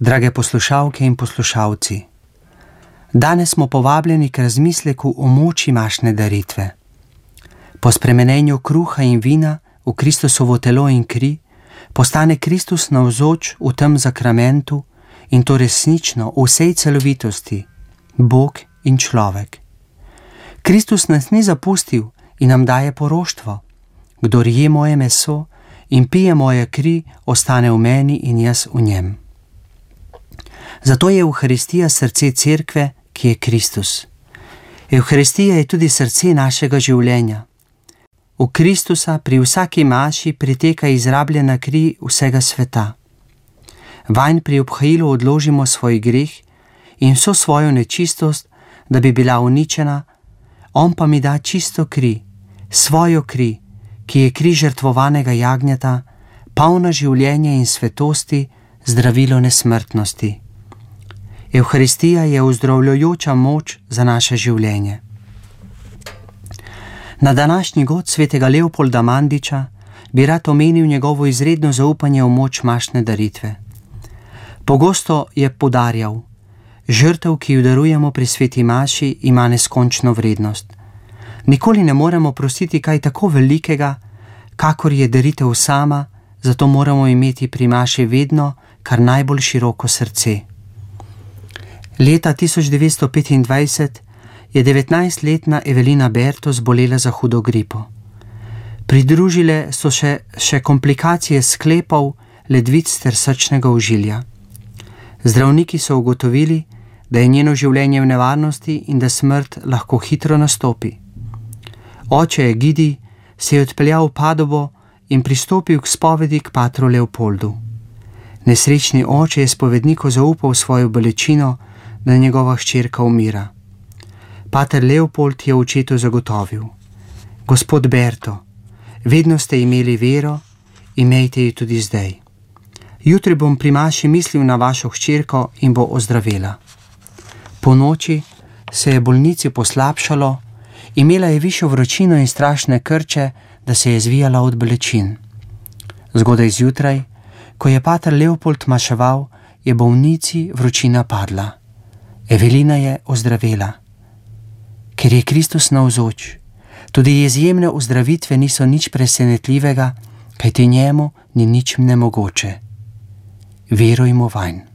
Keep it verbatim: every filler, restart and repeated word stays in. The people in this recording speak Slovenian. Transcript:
Drage poslušalke in poslušalci, danes smo povabljeni k razmisleku o moči mašne daritve. Po spremenenju kruha in vina v Kristusovo telo in kri postane Kristus navzoč v tem zakramentu in to resnično v vsej celovitosti, Bog in človek. Kristus nas ni zapustil in nam daje poroštvo. Kdor je moje meso in pije moje kri, ostane v meni in jaz v njem. Zato je Evharistija srce cerkve, ki je Kristus. Evharistija je tudi srce našega življenja. V Kristusa pri vsaki maši priteka izrabljena kri vsega sveta. Vanj pri obhajilu odložimo svoj greh in vso svojo nečistost, da bi bila uničena, on pa mi da čisto kri, svojo kri, ki je kri žrtvovanega jagnjeta, polna življenja in svetosti, zdravilo nesmrtnosti. Evharistija je ozdravljajoča moč za naše življenje. Na današnji god svetega Leopolda Mandiča bi rad omenil njegovo izredno zaupanje v moč mašne daritve. Pogosto je poudarjal, žrtev, ki jo darujemo pri sveti maši, ima neskončno vrednost. Nikoli ne moremo prositi kaj tako velikega, kakor je daritev sama, zato moramo imeti pri maši vedno kar najbolj široko srce. Leta tisoč devetsto petindvajset je devetnajstletna Evelina Berto zbolela za hudo gripo. Pridružile so še, še komplikacije sklepov, ledvic ter srčnega ožilja. Zdravniki so ugotovili, da je njeno življenje v nevarnosti in da smrt lahko hitro nastopi. Oče Egidij se je odpeljal v Padovo in pristopil k spovedi k patru Leopoldu. Nesrečni oče je spovedniku zaupal svojo bolečino, da njegova hčerka umira. Pater Leopold je očetu zagotovil: Gospod Berto, vedno ste imeli vero, imejte jo tudi zdaj. Jutri bom pri maši mislil na vašo hčerko in bo ozdravela. Po noči se je bolnici poslabšalo, imela je višjo vročino in strašne krče, da se je zvijala od bolečin. Zgodaj zjutraj, ko je pater Leopold maševal, je bolnici vročina padla. Evelina je ozdravela. Ker je Kristus navzoč, tudi izjemne ozdravitve niso nič presenetljivega, kajti njemu ni nič nemogoče. Verujmo vanj.